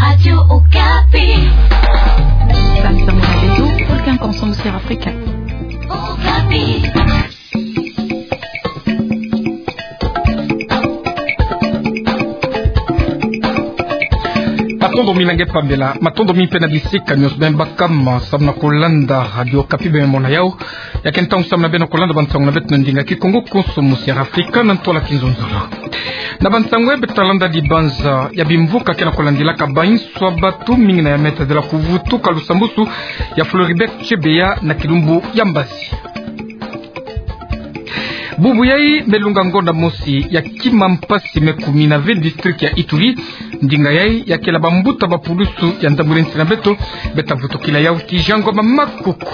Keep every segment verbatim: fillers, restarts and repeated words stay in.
Radio Okapi. Bantu ba mona beto, Volcan Konso, Musière Afrika. Okapi. Matondo mingi na nge pambela, matondo mingi mpe na bisika nyonso beno baka samu na kulanda Radio Okapi, beno mona yau. Ya ke ntangu samu na beno kulanda bansangu na beto na ndinga Kikongo konso Musière Afrika na ntwala kizunzolo. Na bansangu ya beto talanda dibanza ya bimvuka ke na kulandilaka bainso ya batu mingi na ya me tadila kuvutuka lusambusu ya Floribert Chebeya na kilumbu ya mbazi. Bubu yai me lunga ngonda mosi ya kima mpasi me kumi na ve district ya Ituri. Ndinga yai ya kela bambuta ba pulusu ya ndambu nsi na beto, beta vutukila yau kijango ba makuku.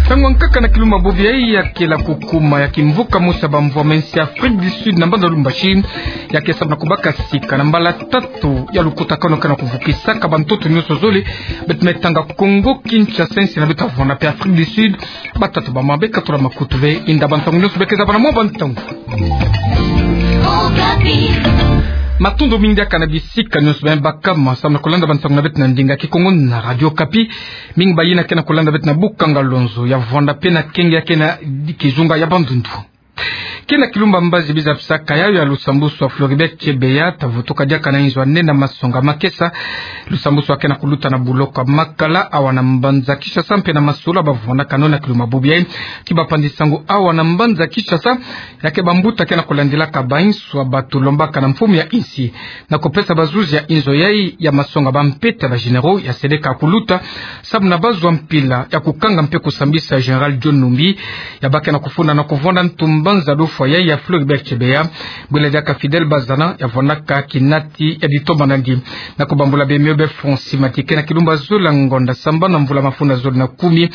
Ntangu ya nkaka na kilumbu bubu yai ya kela kukuma ya kimvuka mosi ya bamvwama nsi ya Afrique du Sud na mbanza Lubumbashi, ya ke samu na kubaka sika na mbala tatu ya lukutakanu ke na kuvukisaka bantoto nyonso zole, beto me tanga Kongo Kinshasa, nsi na beto ya vwanda mpe Afrique du Sud. Batata, bamama, beka tula makutu ve, inda bansangu nyonso beka zabana mwa bansangu. Matondo mingi diaka na bisika nyonso beno baka samu na kulanda bansangu na beto na ndinga Kikongo na Radio Okapi. Mingi bayina ke na kulanda beto na Bukanga Lonzo, ya vwanda mpe na kenge ya ke na kizunga ya Bandundu. Ke na kilumbu ya mbazi biza bisaka yau ya lusambusu ya Floribert Chebeya, ta vutuka diaka na inzo ya nene ya masonga Makesa. Lusambusu ya ke na kuluta na buloko ya Makala, awa na mbanza Kinshasa, mpe na masolo ba vwandakano na kilumbu bubu yai. Ki bapanzi sango awa na mbanza Kinshasa, ya ke bambuta ke na kulandilaka bainso ya batu lombaka na mfumu ya insi na kupesa bazuzi ya inzo yai ya masonga bampete ya ba généraux ya seleka kuluta, samu na bazwa mpila ya kukanga mpe kusambisa Général John Numbi, ya ba ke na kufunda na kuvwanda ntu mbanza lufwa yai ya Floribert Chebeya, bwela diaka Fidèle Bazana, ya vwandaka kinati ya ditombana ndi. Na kubambula bemio be Francis Matike, na kilumbu ya zole ya ngonda sambanu na mvula mafunda zole na kumi,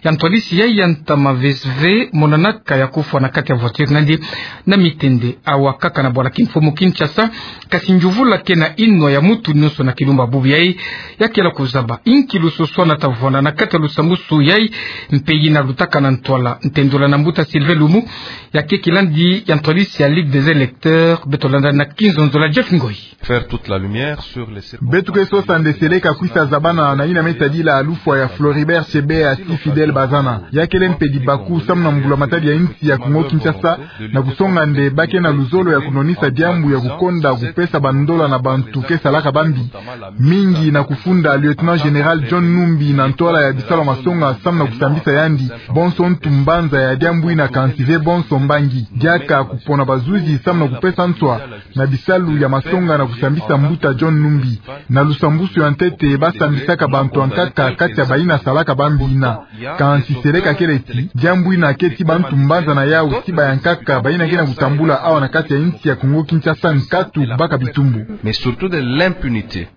ya ntwadisi yai ya ntama V S V monanaka ya kufwa na kati ya voiture na ndi na mitende awa kaka na bwala kimfumu Kinshasa. Kasi nzuvula ke na inwa ya muntu nyonso na kilumbu bubu yai, ya kela kuzaba inki lususwana ta vwanda na kati ya lusambusu yai, mpe yina lutakana ntwala. Ntendula na mbuta Sylvain Lumu, ya ke kilandi ya ntwadisi ya Ligue des électeurs. Beto landa na kinzonzolo ya Jeff Ngoyi. Faire toute la lumière sur les circonstances. Beto ke sosa nde seleka kwisa zabana na yina me tadila lufwa ya Floribert Chebeya ti Fidèle Bazana. Ya kele mpedi baku samu na mbula matadi ya insi ya Kongo Kinshasa, na kusonga nde ba ke na luzolo ya kunwanisa diambu ya kukonda kupesa bandola na bantu ke salaka bambi, mingi na kufunda Lieutenant Général John Numbi na ntwala ya bisalu ya masonga samu na kusambisa yandi. Bonso ntu mbanza ya diambu yina, kansi ve bonso mbangi. Diaka kupona bazuzi samu na kupesa nswa na bisalu ya masonga na kusambisa mbuta John Numbi. Na lusambusu ya ntete, ba sambisaka bantu ya nkaka kati ya bayina salaka bambi yina. Kansi seleka kele ti diambu yina ke ti bantu mbanza na yau, ti bayankaka bayina ke na kutambula awa na kati ya insi ya Kongo Kinshasa nkatu baka bitumbu. Mais surtout de l'impunité.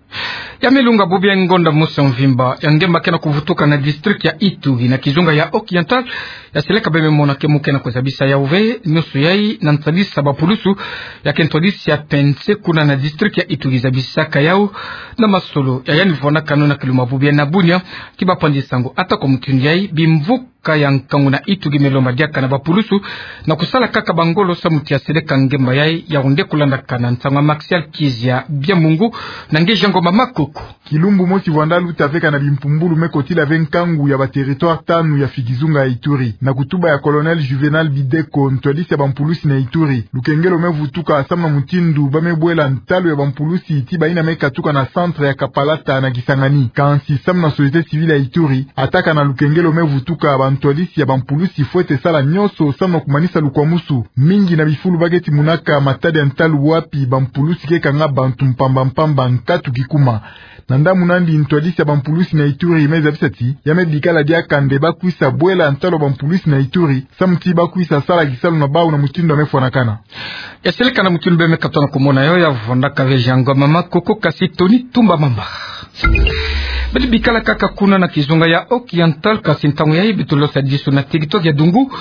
Ya me lunga bubu yai ngonda mosi ya mvimba ya ngemba ke na kuvutuka na district ya Ituri na kizunga ya Oriental, ya seleka beno me mona ke mu ke na kuzabisa yau ve. Nyonso yai na ntwadisi ya bapulusu ya ke ntwadisi ya P N C kuna na district ya Ituri zabisaka yau na masolo ya yandi vwandakano na kilumbu bubu yai na Bunia. Ki bapanzi sango ata kwa mutindu yai, bimvuka ya nkangu na Ituri me lomba diaka na bapulusu na kusala kaka bangolo samu ti ya seleka ngemba yai. Ya onde kulandakana nsangu ya Martial Kizia Biamungu na nge Jean Ngoma Makoko. Kilumbu mosi vwanda luta ve kana bimpumbulu me kotila ve nkangu ya ba territoire tanu ya fi kizunga ya Ituri. Na kutuba ya Colonel Juvenal Bideko, ntwadisi ya bampulusi na Ituri, lukengelo me vutuka samu na mutindu ba me bwela ntalu ya bampulusi ti bayina me katuka na centre ya Kapalata na Kisangani. Kansi samu na société civile ya Ituri, ata kana lukengelo me vutuka, bantwadisi ya bampulusi fwete sala nyonso samu na kumanisa lukwamusu. Mingi na bifulu ba ke timunaka matadi ya ntalu wapi bampulusi ke kanga bantu mpamba mpamba nkatu kikuma. Na ndambu nandi, ntwadisi ya bampulusi na Ituri me zabisa ti ya me bikala diaka nde ba kwisa bwela ntalu ya bampulusi na Ituri samu ti ba kwisa sala kisalu na bau na mutindu ya me fwanakana. Ya seleka na mutindu beno me katono kumona yau, ya vwandaka ve Jean Ngoma Makoko, kasi Tony Tumba Mamba. Beto bikala kaka kuna na kizunga ya Oriental, kasi ntangu yai beto losa disu na territoire ya Dungu.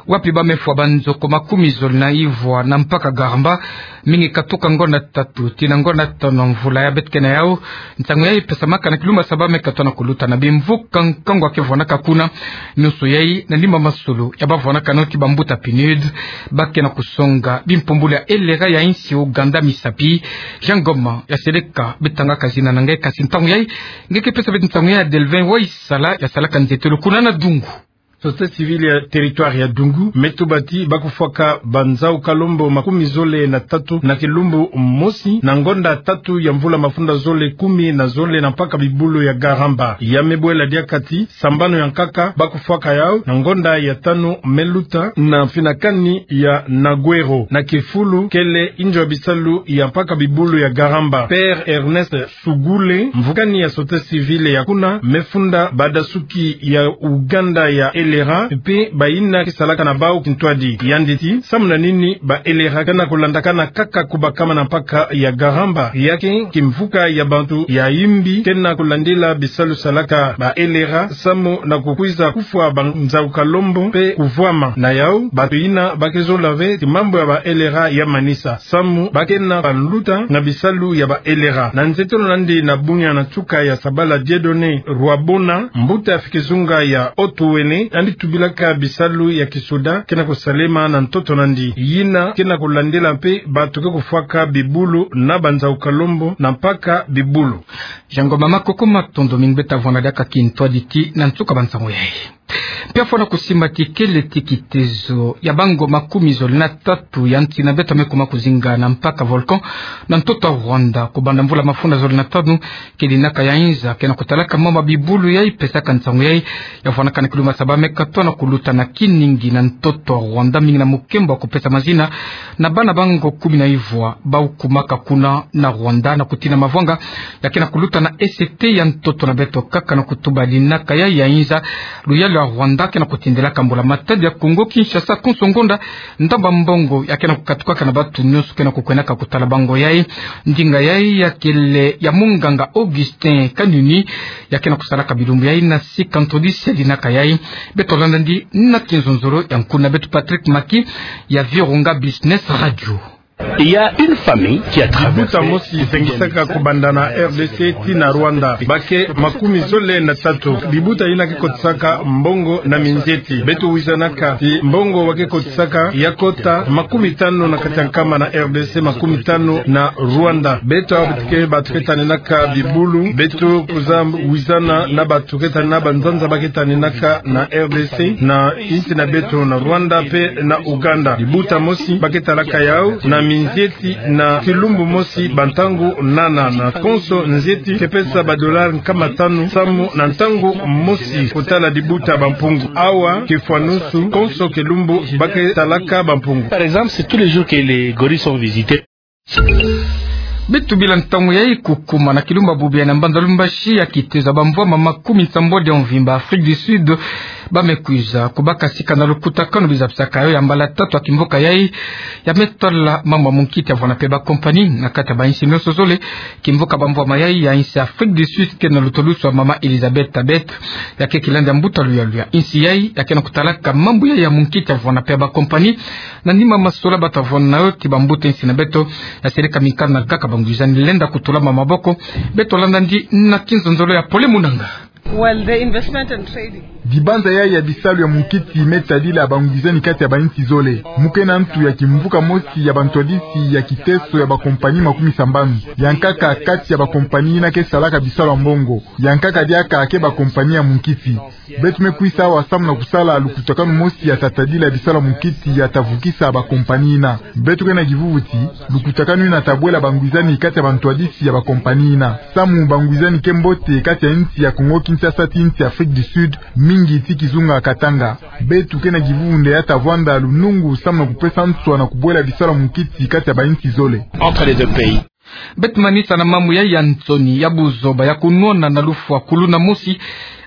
Wapi ba mefwa ba nzoko makumi zole na ivwa na mpaka Garamba, mingi katuka ngonda tatu tii na ngonda tanu mvula ya beto ke na yau. Ntangu yayi pesamaka na kilumbu ya saba me katona kuluta na bimvuka nkangu ya kevwanaka kuna. Nionso yayi na nima masolo ya bavwanaka nao ti bambuta PNUD, ba ke na kusonga bimpumbulu ya elera ya insi Ouganda misapi. Jean Ngoma ya seleka beto tangaka zina na nge, kasi ntangu yayi nge ke pesa beto ntangu yayi ya Delvin Waisala ya salaka nzietelo kuna na Dungu. Société civile ya territoire ya Dungu me tuba ti ba kufwaka banzau kalombo makumi zole na tatu na kilumbu mosi na ngonda tatu ya mvula mafunda zole kumi na zole na mpaka bibulu ya Garamba. Ya me bwela diaka ti sambanu ya nkaka ba kufwaka yau na ngonda ya tanu me luta na finakani ya Nagwero na kifulu kele inzo ya bisalu ya mpaka bibulu ya Garamba. Père Ernest Sugule, mvukani ya société civile ya kuna, me funda badasuki ya Ouganda ya elera, mpe bayina ke salaka na bau kintwadi. Yandi ti, samu na nini ba elera ke na kulandakana kaka kubakama na mpaka ya Garamba? Ya ke kimvuka ya bantu ya imbi ke na kulandila bisalu salaka ba elera, samu na kukwiza kufwa banzau kalombo mpe kuvwama. Na yau, bantu yina ba ke zola ve ti mambu ya ba elera ya manisa. Samu ba ke na baluta na bisalu ya ba elera. Na nzietelo na yandi na bunya na nsuka ya sabala, Dieudonné Rwabona, mbuta ya fikizunga ya Otuele, yandi tubilaka bisalu ya kisoda ke na kusalema na ntoto na yandi. Yina ke na kulandila mpe bantu ke kufwaka bibulu na banzau kalombo na mpaka bibulu. Jean Ngoma, makoko matondo mingi. Beto tavwanda diaka kintwadi tii na nsuka bansangu yayi. Mpe afwana kusimba ti kele ti kitezo ya bango makumi zole na tatu ya nsi na beto me kuma kuzinga na mpaka volcan na ntoto ya Rwanda, kubanda mvula mafunda zole na tanu, kele dinaka ya inza ke na kutalaka mama bibulu yayi pesaka nsangu yayi ya vwanaka na kilumbu ya saba me katona kuluta na Kiningi na ntoto ya Rwanda, mingi na mukembo ya kupesa mazina na bana bango kumi na ivwa bau kumaka kuna na Rwanda na kutina mavwanga ya ke na kuluta na E C T ya ntoto na beto kaka na kutuba dinaka yayi ya inza. Luyalu ya Rwanda ke na kutindilaka mbula matadi ya Congo Kinshasa konso ngonda ndambu ya mbongo ya ke na kukatukaka na bantu nionso ke na kukwendaka kutala bango yayi. Ndinga yayi ya kele ya munganga Augustin Kanyunyi, ya ke na kusalaka bilumbu yayi na sika ntwadisi ya dinaka yayi. Beto landa yandi na kinzonzolo ya nkuna beto Patrick Maki ya Virunga Business Radio. Il y a une famille qui a traversé. Libuta mosi zengisaka kubanda na R D C tii na Rwanda. Ba ke makumi zole na tatu. Libuta yina ke kotisaka mbongo na minzieti. Beto wizanaka ti mbongo wa ke kotisaka ya kota makumi tanu na kati ya nkama na R D C, makumi tanu na Rwanda. Beto ke bantu ke taninaka bibulu. Beto kwiza wizana na bantu ke tanina banzanza ba ke taninaka na R D C, na insi na beto na Rwanda mpe na Uganda. Libuta mosi ba ke talaka yau na minzieti na kilumbu mosi bantangu nana, na konso nzieti ke pesa ba dollars nkama tanu samu na ntangu mosi kutala libuta Bampungu. Awa ke fwanusu, konso kilumbu ba ke talaka Bampungu. Par exemple, c'est tous les jours que les gorilles sont visités. Beto bila ntangu yayi kukuma na kilumbu ya bubu ya na mbanza Lumbashi ya kitezo ya bamvwama makumi nsambwadi ya mvimba Afrique du Sud ba me kwiza kubaka sika na lukutakanu bizapisaka yo ya mbala tatu ya kimvuka yayi ya me tala mambu ya munkiti ya vwanda mpe ba compagnie na kati ya ba insi nionso zole. Kimvuka bamvwama yayi ya insi Afrique du Sud ke na lutulusu ya mama Elizabeth Tabet, ya ke kilandi ya mbuta luyalu ya insi yayi ya ke na kutalaka mambu yayi ya munkiti ya vwanda mpe ba compagnie. Na nima masolo ba tavwanda na yo ti bambuta insi na beto, ya seleka mikanda na gaka bangwizani lenda kutulama maboko. Beto landa yandi na kinzonzolo ya Pole Munanga. Well, the investment and trading. Dibanza yayi ya bisalu ya munkiti me tadila bangwizani kati ya ba insi zole. Mu ke na ntu ya kimvuka mosi ya bantwadisi ya kiteso ya ba compagnie makumi sambanu. Ya nkaka kati ya ba compagnie yina ke salaka bisalu ya mbongo. Ya nkaka diaka ke ba compagnie ya munkiti. Beto me kwisa awa samu na kusala lukutakanu mosi ya ta tadila bisalu ya munkiti ya ta vukisa ba compagnie yina. Beto ke na kivuvu ti lukutakanu yina ta bwela bangwizani kati ya bantwadisi ya ba compagnie yina. Samu bangwizani ke mbote kati ya insi ya Congo Kinshasa ti insi Afrique du Sud, mingi ti kizunga Katanga. Beto ke na kivuvu nde ya ta vwanda lunungu samu na kupesa nswa na kubwela bisalu ya munkiti kati ya ba insi zole. Entre les deux pays. Beto manisa na mambu ya, ya nsoni ya buzoba ya kunwana na lufwa kuluna mosi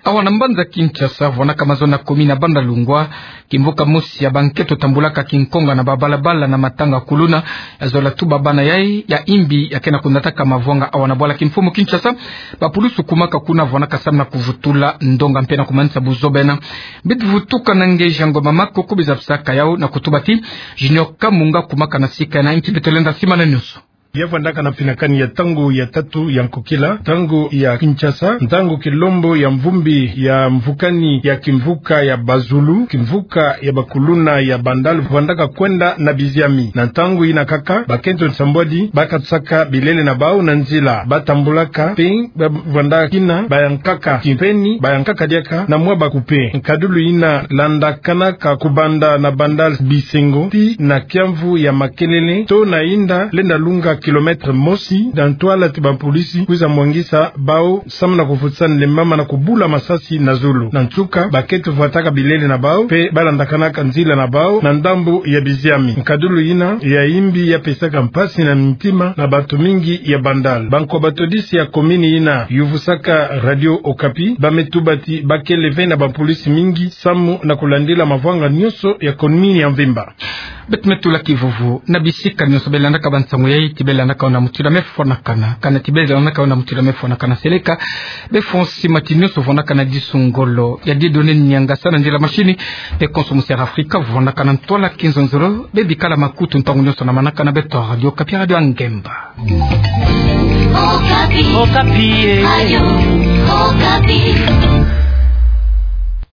awa na mbanza Kinshasa, vwanaka mazono ya commune ya Bandalungwa. Kimvuka mosi ya bankento tambulaka kinkonga na babalabala na matanga kuluna, ya zola tuba bana yai ya imbi ya kena kunataka mavwanga awa na bwala kimfumu Kinshasa. Bapulusu kumaka kuna vwanaka samu na kuvutula ndonga mpe na kumanisa buzoba ena. Beto vutuka na nge Jean Ngoma Makoko, biza bisaka yau na kutuba ti Junior Kamunga kumaka na sika ena. Nti beto lenda simana nioso. Ya vwandaka na mpinakani ya ntangu ya tatu ya nkokila, ntangu ya Kinshasa, ntangu kilombo ya mvumbi ya mvukani ya kimvuka ya bazulu, kimvuka ya bakuluna ya Bandal, vwandaka kwenda na biziami. Na ntangu ina kaka, bakento nsambwadi bakatisaka bilele na bau na nzila, batambulaka mpe ba-, vwandaka kina bayankaka kimpeni, bayankaka diaka na mwa bakupe. Nkadulu ina landakanaka kubanda na Bandal Bisengo tii na kiamvu ya Makelele, to na inda lenda lunga kilomètre mosi, na ntwala ti bapolisi kwiza mwangisa bau samu na kuvutisa nlemama na kubula masasi na zulu. Na nsuka, bakento vwataka bilele na bau mpe balandakanaka nzila na bau na ndambu ya biziami. Nkadulu ina ya imbi ya pesaka mpasi na ntima na bantu mingi ya Bandal. Banko batodisi ya komini ina yuvusaka Radio Okapi bame tuba ti bakele ve na bapolisi mingi samu na kulandila mavwanga nioso ya komini ya mvimba. Beto me tula kivuvu na bisika nioso belandaka bansangu yai, ti belandaka yo na mutindu ya mefwanakana, kana ti belandaka yo na mutindu ya mefwanakana seleka. Befonsi mati nioso vwanaka na disu ngolo ya Dieudonné Niangasa na nzila machine, mpe konso musi ya Afrika vwanaka na ntwala kinzonzolo. Bebikala makutu ntangu nioso na manaka na beto Radio Okapi, Radio ya Ngemba. Okapi. Okapi, eh. Radio.